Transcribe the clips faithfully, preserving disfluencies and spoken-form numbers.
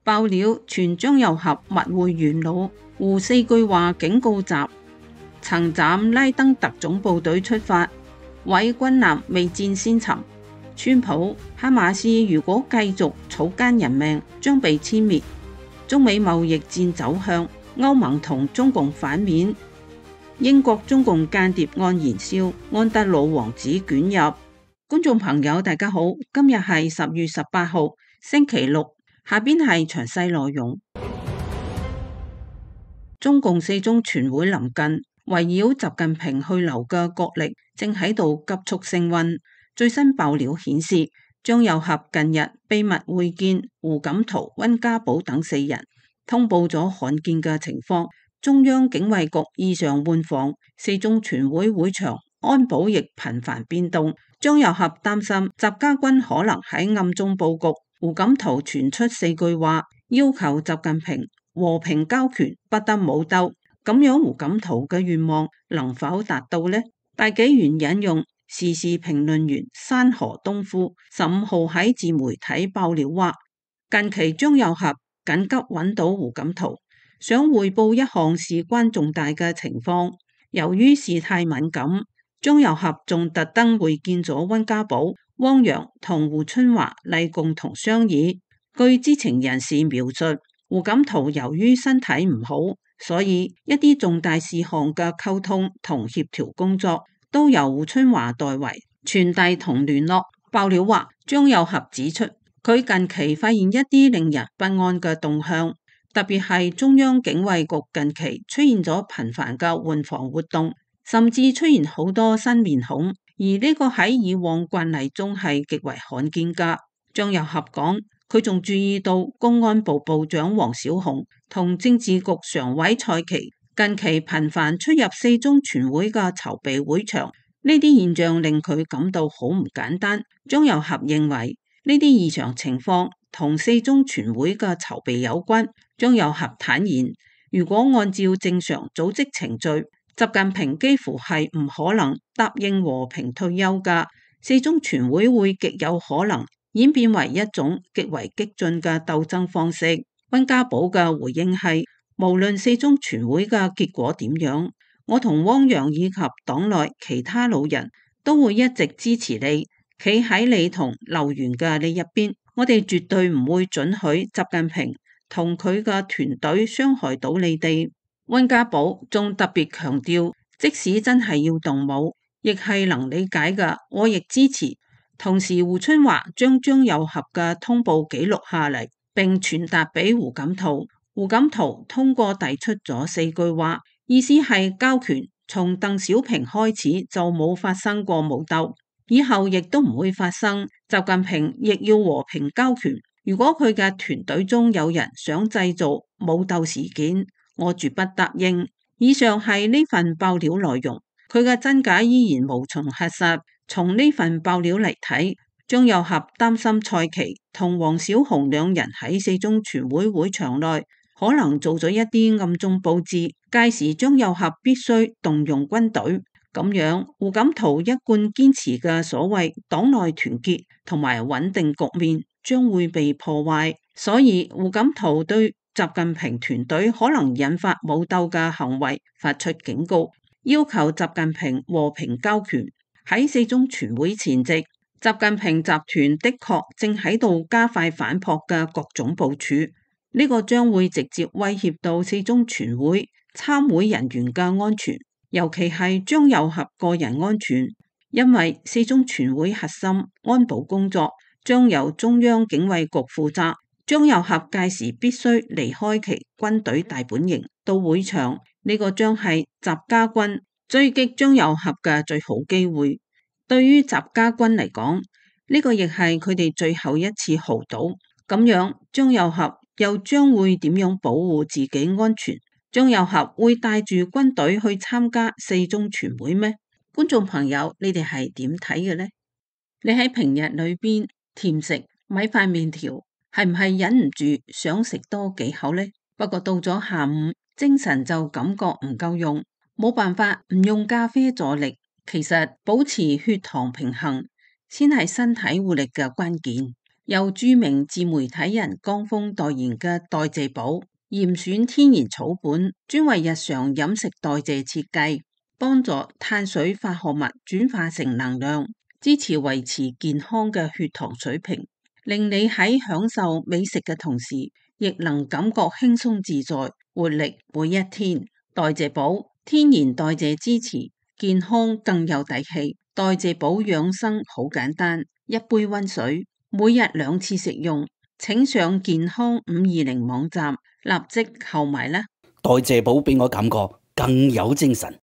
爆料傳張又俠密會元老，胡四句話警告習，曾斬拉登特種部隊出發，毀軍艦未戰先沉。川普哈馬斯如果繼續草菅人命，將被殲滅。中美貿易戰走向，歐盟同中共反面。英國中共間諜案燃燒，安德魯王子捲入。觀眾朋友大家好，今日係十月十八號星期六，下邊係詳細內容。中共四中全會臨近，圍繞習近平去留嘅角力正喺度急速升溫。最新爆料顯示，張又俠近日秘密會見胡錦濤、溫家寶等四人，通報咗罕見嘅情況。中央警衛局異常換防，四中全會會場安保亦頻繁變動。張又俠擔心習家軍可能喺暗中佈局。胡錦濤傳出四句話，要求習近平和平交權，不得武鬥。咁樣胡錦濤嘅願望能否達到呢？大紀元引用時事評論員山河東夫十五號喺自媒體爆料話，近期張又俠緊急揾到胡錦濤，想匯報一項事關重大嘅情況。由於事態敏感，張又俠仲特登會見咗溫家寶、汪洋同胡春華嚟共同商議。據知情人士描述，胡錦濤由於身體唔好，所以一啲重大事項嘅溝通同協調工作都由胡春華代為傳遞同聯絡。爆料話，張又俠指出，佢近期發現一啲令人不安嘅動向，特別係中央警衛局近期出現咗頻繁嘅換防活動，甚至出現好多新面孔，而呢個喺以往慣例中係極為罕見㗎。張又俠講，佢仲注意到公安部部長王小洪同政治局常委蔡奇近期頻繁出入四中全會嘅籌備會場，呢啲現象令佢感到好唔簡單。張又俠認為呢啲異常情況同四中全會嘅籌備有關。張又俠坦言，如果按照正常組織程序，習近平幾乎係唔可能答應和平退休㗎。四中全會會極有可能演變為一種極為激進嘅鬥爭方式。溫家寶嘅回應係，無論四中全會嘅結果點樣，我同汪洋以及黨內其他老人都會一直支持你，企喺你同劉源嘅呢一邊。我哋絕對唔會准許習近平同佢嘅團隊傷害到你哋。溫家寶仲特別強調，即使真係要動武，亦係能理解嘅，我亦支持。同時，胡春華將張又俠嘅通報記錄下嚟，並傳達俾胡錦濤。胡錦濤通過遞出咗四句話，意思係交權從鄧小平開始就冇發生過武鬥，以後亦都唔會發生。習近平亦要和平交權。如果佢嘅團隊中有人想製造武鬥事件，我絕不答應。以上係呢份爆料內容，佢嘅真假依然無從核實。從呢份爆料嚟睇，張又俠擔心蔡奇同王小洪兩人喺四中全會會場內可能做咗一啲暗中佈置，屆時張又俠必須動用軍隊，咁樣胡錦濤一貫堅持嘅所謂黨內團結同埋穩定局面將會被破壞。所以胡錦濤對習近平團隊可能引發武鬥嘅行為發出警告，要求習近平和平交權。喺四中全會前夕，習近平集團的確正喺度加快反撲嘅各種部署，呢個將會直接威脅到四中全會參會人員嘅安全，尤其係張又俠個人安全，因為四中全會核心安保工作將由中央警衛局負責，張又俠屆時必須離開其軍隊大本營到會場，呢個將係習家軍追擊張又俠嘅最好機會。對於習家軍嚟講，呢個亦係佢哋最後一次豪賭。咁樣張又俠又將會點樣保護自己安全？張又俠會帶住軍隊去參加四中全會咩？觀眾朋友，你哋係點睇嘅呢？你喺平日裏邊甜食米飯麵條，係唔係忍唔住想食多幾口呢？不過到咗下午，精神就感覺唔夠用，冇辦法唔用咖啡助力。其實保持血糖平衡先係身體活力嘅關鍵。由著名自媒體人江峰代言嘅代謝寶嚴選天然草本，專為日常飲食代謝設計，幫助碳水化合物轉化成能量，支持維持健康嘅血糖水平，令你喺享受美食嘅同時，亦能感覺輕鬆自在、活力每一天。代謝寶天然代謝支持健康更有底氣。代謝寶養生好簡單，一杯溫水，每日兩次食用。請上健康五二零網站立即購買啦！代謝寶俾我感覺更有精神。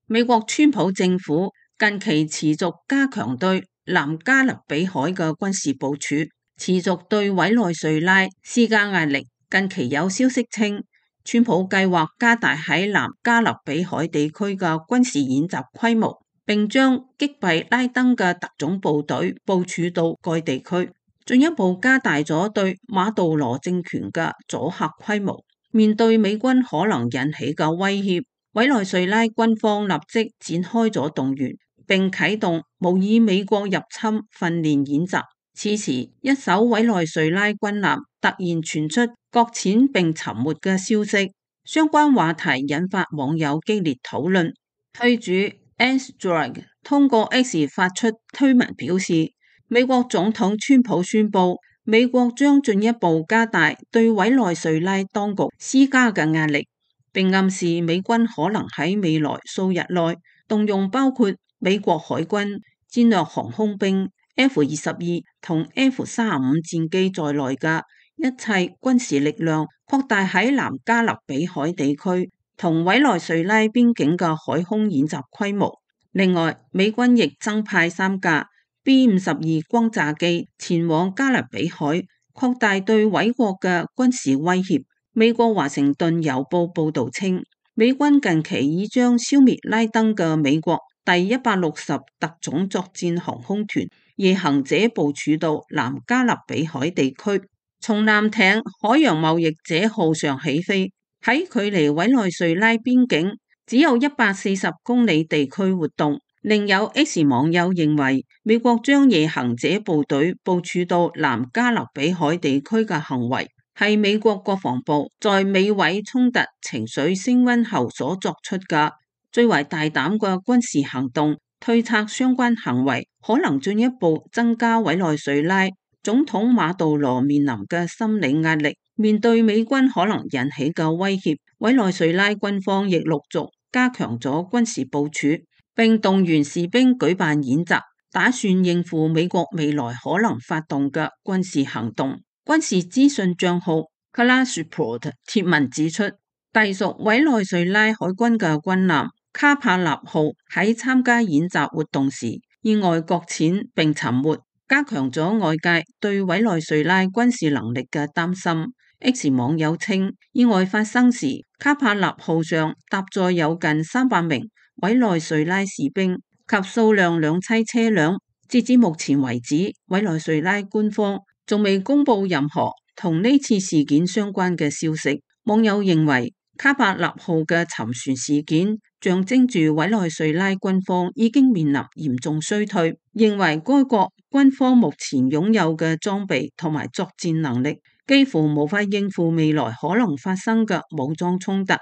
美國川普政府近期持續加強對南加勒比海嘅軍事部署，持續對委內瑞拉施加壓力。近期有消息稱，川普計劃加大喺南加勒比海地區嘅軍事演習規模，並將擊斃拉登嘅特種部隊部署到該地區，進一步加大咗對馬杜羅政權嘅阻嚇規模。面對美軍可能引起嘅威脅，委內瑞拉軍方立即展開咗動員，並啟動模擬美國入侵訓練演習。此時，一艘委內瑞拉軍艦突然傳出擱淺並沉沒嘅消息，相關話題引發網友激烈討論。推主 Ansdrag 通過 X 發出推文表示，美國總統川普宣布，美國將進一步加大對委內瑞拉當局施加嘅壓力，並暗示美軍可能喺未來數日內動用包括美國海軍戰略航空兵 F 二十二同 F 三十五戰機在內嘅一切軍事力量，擴大喺南加勒比海地區同委內瑞拉邊境嘅海空演習規模。另外，美軍亦增派三架 B 五十二轟炸機前往加勒比海，擴大對委國嘅軍事威脅。美國華盛頓郵報報道稱，美軍近期已將消滅拉登嘅美國第一百六十特種作戰航空團夜行者部署到南加勒比海地區，從艦艇海洋貿易者號上起飛，喺距離委內瑞拉邊境只有一百四十公里地區活動。另有 X 網友認為，美國將夜行者部隊部署到南加勒比海地區嘅行為，係美國國防部在美委衝突情緒升溫後所作出嘅最為大膽嘅軍事行動。推測相關行為可能進一步增加委內瑞拉總統馬杜羅面臨嘅心理壓力。面對美軍可能引起嘅威脅，委內瑞拉軍方亦陸續加強咗軍事部署，並動員士兵舉辦演習，打算應付美國未來可能發動嘅軍事行動。軍事資訊賬號 Kalashport 貼文指出，隸屬委內瑞拉海軍嘅軍艦卡帕納號喺參加演習活動時意外擱淺並沉沒，加強咗外界對委內瑞拉軍事能力嘅擔心。X 網友稱，意外發生時，卡帕納號上搭載有近三百名委內瑞拉士兵及數輛兩棲車輛。截至目前為止，委內瑞拉官方仲未公布任何同呢次事件相關嘅消息。網友認為，卡帕納號嘅沉船事件象徵住委內瑞拉軍方已經面臨嚴重衰退，認為該國軍方目前擁有嘅裝備同埋作戰能力幾乎無法應付未來可能發生嘅武裝衝突。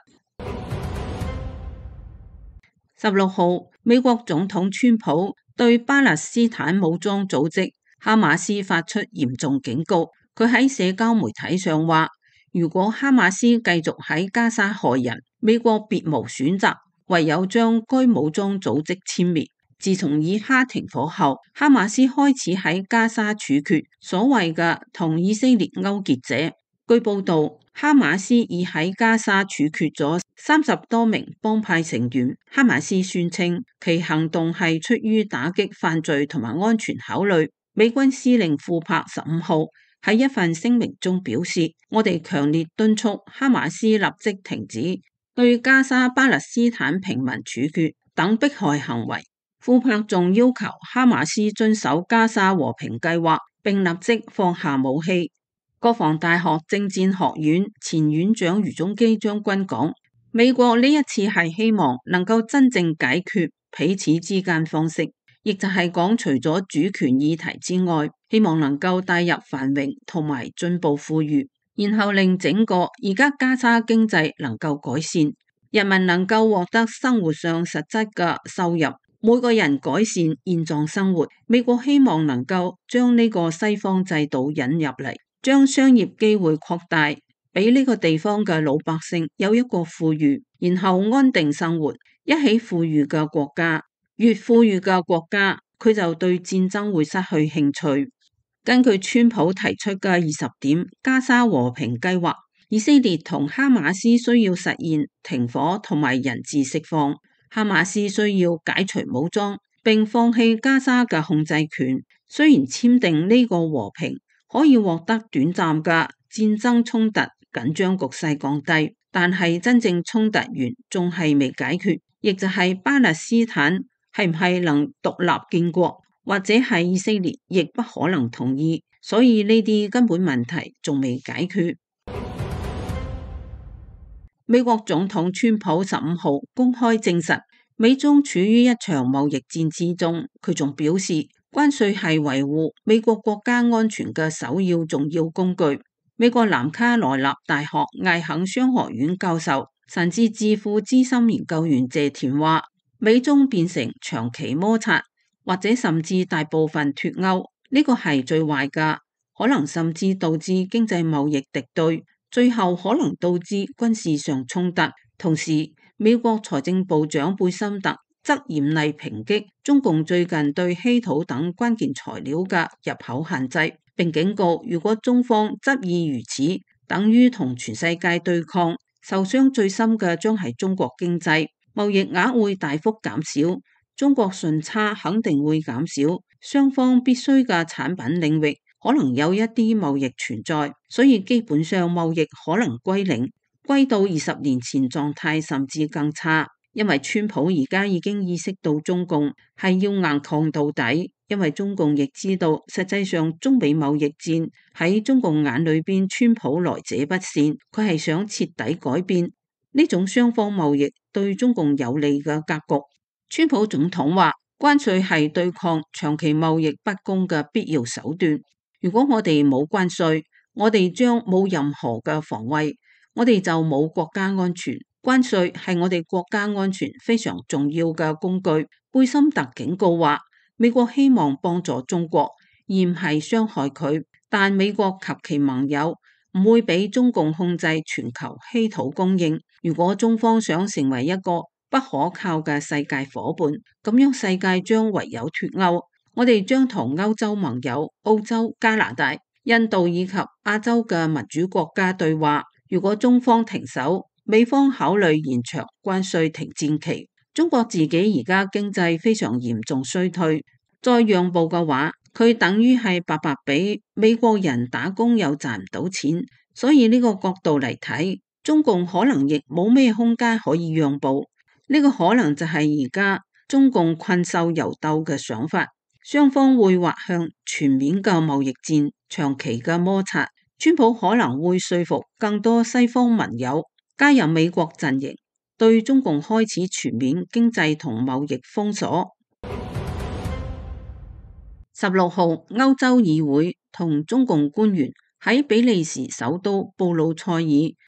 十六號，美國總統川普對巴勒斯坦武裝組織哈馬斯發出嚴重警告。佢喺社交媒體上話，如果哈馬斯繼續喺加沙害人，美國別無選擇，唯有將該武裝組織殲滅。自從以哈停火後，哈馬斯開始喺加沙處決所謂嘅同以色列勾結者。據報道，哈馬斯已喺加沙處決咗三十多名幫派成員。哈馬斯宣稱其行動係出於打擊犯罪同埋安全考慮。美軍司令庫珀十五號喺一份聲明中表示，我哋強烈敦促哈馬斯立即停止對加沙巴勒斯坦平民處決等迫害行為。庫珀仲要求哈馬斯遵守加沙和平計劃，並立即放下武器。國防大學政戰學院前院長余宗基將軍講，美國呢一次係希望能夠真正解決彼此之間方式，亦就係講除咗主權議題之外，希望能夠帶入繁榮同埋進步富裕，然後令整個而家加沙經濟能夠改善，人民能夠獲得生活上實質嘅收入，每個人改善現狀生活。美國希望能夠將呢個西方制度引入嚟，將商業機會擴大，俾呢個地方嘅老百姓有一個富裕，然後安定生活。一起富裕嘅國家，越富裕嘅國家，佢就對戰爭會失去興趣。根據川普提出嘅二十點加沙和平計劃，以色列同哈馬斯需要實現停火同埋人質釋放，哈馬斯需要解除武裝並放棄加沙嘅控制權。雖然簽訂呢個和平可以獲得短暫嘅戰爭衝突緊張局勢降低，但係真正衝突源仲係未解決，亦就係巴勒斯坦係唔係能獨立建國，或者係以色列亦不可能同意，所以呢啲根本問題仲未解決。美國總統川普十五號公開證實，美中處於一場貿易戰之中。佢仲表示，關稅係維護美國國家安全嘅首要重要工具。美國南卡羅納大學艾肯商學院教授、神智智庫資深研究員謝田話，美中變成長期摩擦，或者甚至大部分脫歐，呢個係最壞㗎，可能甚至導致經濟貿易敵對，最後可能導致軍事上衝突。同時，美國財政部長貝森特則嚴厲抨擊中共最近對稀土等關鍵材料嘅入口限制，並警告如果中方執意如此，等於同全世界對抗，受傷最深嘅將係中國經濟，貿易額會大幅減少，中國順差肯定會減少，雙方必須嘅產品領域可能有一啲貿易存在，所以基本上貿易可能歸零，歸到二十年前狀態甚至更差。因為川普而家已經意識到中共係要硬抗到底，因為中共亦知道實際上中美貿易戰喺中共眼裏邊，川普來者不善，佢係想徹底改變呢種雙方貿易對中共有利嘅格局。川普總統話，關稅係對抗長期貿易不公嘅必要手段。如果我哋冇關稅，我哋將冇任何嘅防衛，我哋就冇國家安全。關稅係我哋國家安全非常重要嘅工具。貝森特警告話，美國希望幫助中國，而唔係傷害佢。但美國及其盟友唔會俾中共控制全球稀土供應。如果中方想成為一個不可靠嘅世界夥伴，咁樣世界將唯有脫歐。我哋將同歐洲盟友、澳洲、加拿大、印度以及亞洲嘅民主國家對話。如果中方停手，美方考慮延長關稅停戰期。中國自己而家經濟非常嚴重衰退，再讓步嘅話，佢等於係白白俾美國人打工又賺唔到錢。所以呢個角度嚟睇，中共可能亦冇咩空間可以讓步。呢個可能就係而家中共困獸猶鬥嘅想法，雙方會滑向全面嘅貿易戰，長期嘅摩擦。川普可能會說服更多西方盟友加入美國陣營，對中共開始全面經濟同貿易封鎖。十六號，歐洲議會同中共官員喺比利時首都布魯塞爾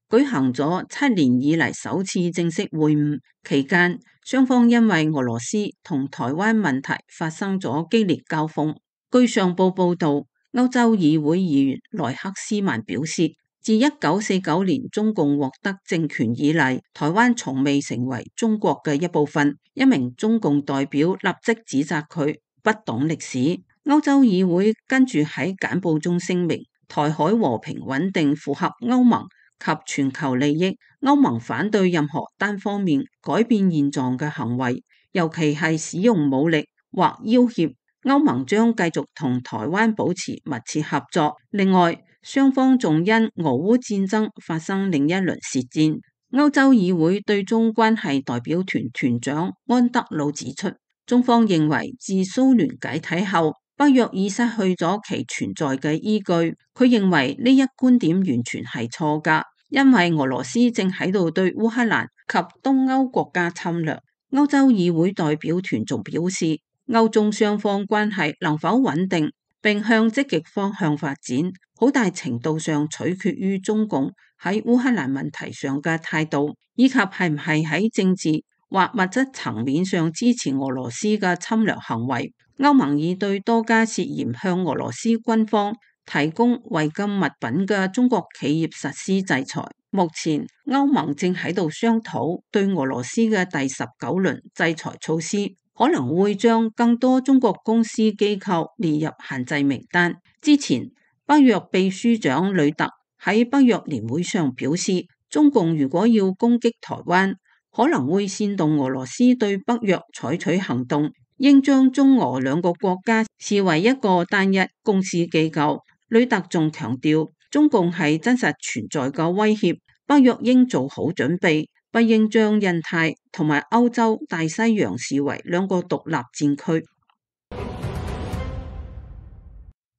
舉行咗七年以嚟首次正式會晤，期間雙方因為俄羅斯同台灣問題發生咗激烈交鋒。據上報報道，歐洲議會議員萊克斯曼表示，自一九四九年中共獲得政權以嚟，台灣從未成為中國嘅一部分。一名中共代表立即指責佢不懂歷史。歐洲議會跟住喺簡報中聲明，台海和平穩定符合歐盟及全球利益。歐盟反對任何單方面改變現狀嘅行為，尤其係使用武力或要挾。歐盟將繼續同台灣保持密切合作。另外，雙方仲因俄烏戰爭發生另一輪舌戰。歐洲議會對中關係代表團團長安德魯指出，中方認為自蘇聯解體後，北約已失去咗其存在嘅依據。佢認為呢一觀點完全係錯㗎，因為俄羅斯正喺度對烏克蘭及東歐國家侵略。歐洲議會代表團仲表示，歐中雙方關係能否穩定並向積極方向發展，好大程度上取決於中共喺烏克蘭問題上嘅態度，以及係唔係喺政治或物質層面上支持俄羅斯嘅侵略行為。歐盟已對多家涉嫌向俄羅斯軍方提供違禁物品嘅中國企業實施制裁。目前歐盟正喺度商討對俄羅斯嘅第十九輪制裁措施，可能會將更多中國公司機構列入限制名單。之前北約秘書長呂特喺北約年會上表示，中共如果要攻擊台灣，可能會煽動俄羅斯對北約採取行動，應將中俄兩個國家視為一個單一公司機構。呂特仲強調，中共係真實存在嘅威脅，北約應做好準備，不應將印太同埋歐洲大西洋視為兩個獨立戰區。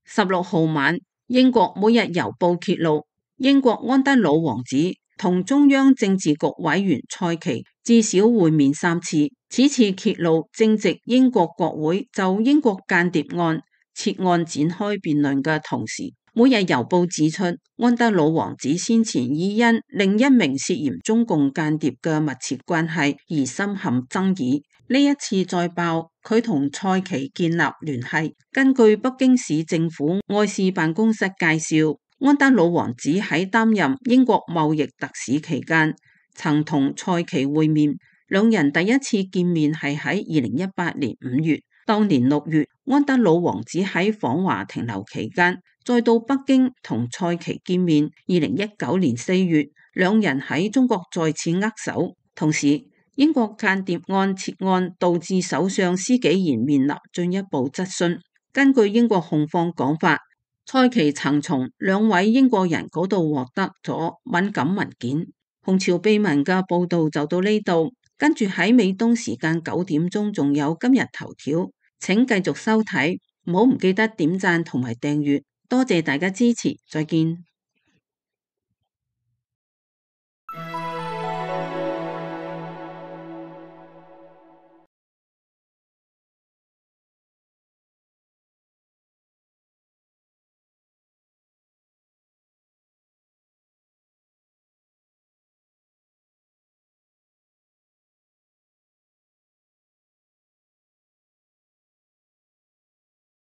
十六號晚，英國每日郵報揭露，英國安德魯王子同中央政治局委員蔡奇至少會面三次。此次揭露正值英國國會就英國間諜案設案展開辯論嘅同時，每日郵報指出，安德魯王子先前已因另一名涉嫌中共間諜嘅密切關係而深陷爭議。呢一次再爆佢同蔡奇建立聯繫。根據北京市政府外事辦公室介紹，安德魯王子喺擔任英國貿易特使期間曾同蔡奇會面，兩人第一次見面係喺二零一八年五月。當年六月，安德魯王子喺訪華停留期間再到北京同蔡奇見面。二零一九年四月，兩人喺中國再次握手。同時，英國間諜案設案導致首相施紀賢面臨進一步質詢。根據英國控方講法，蔡奇曾從兩位英國人嗰度獲得咗敏感文件。紅潮秘聞嘅報道就到呢度，跟住喺美東時間九點鐘仲有今日頭條，請繼續收睇，唔好唔記得點讚同埋訂閱，多謝大家支持，再見。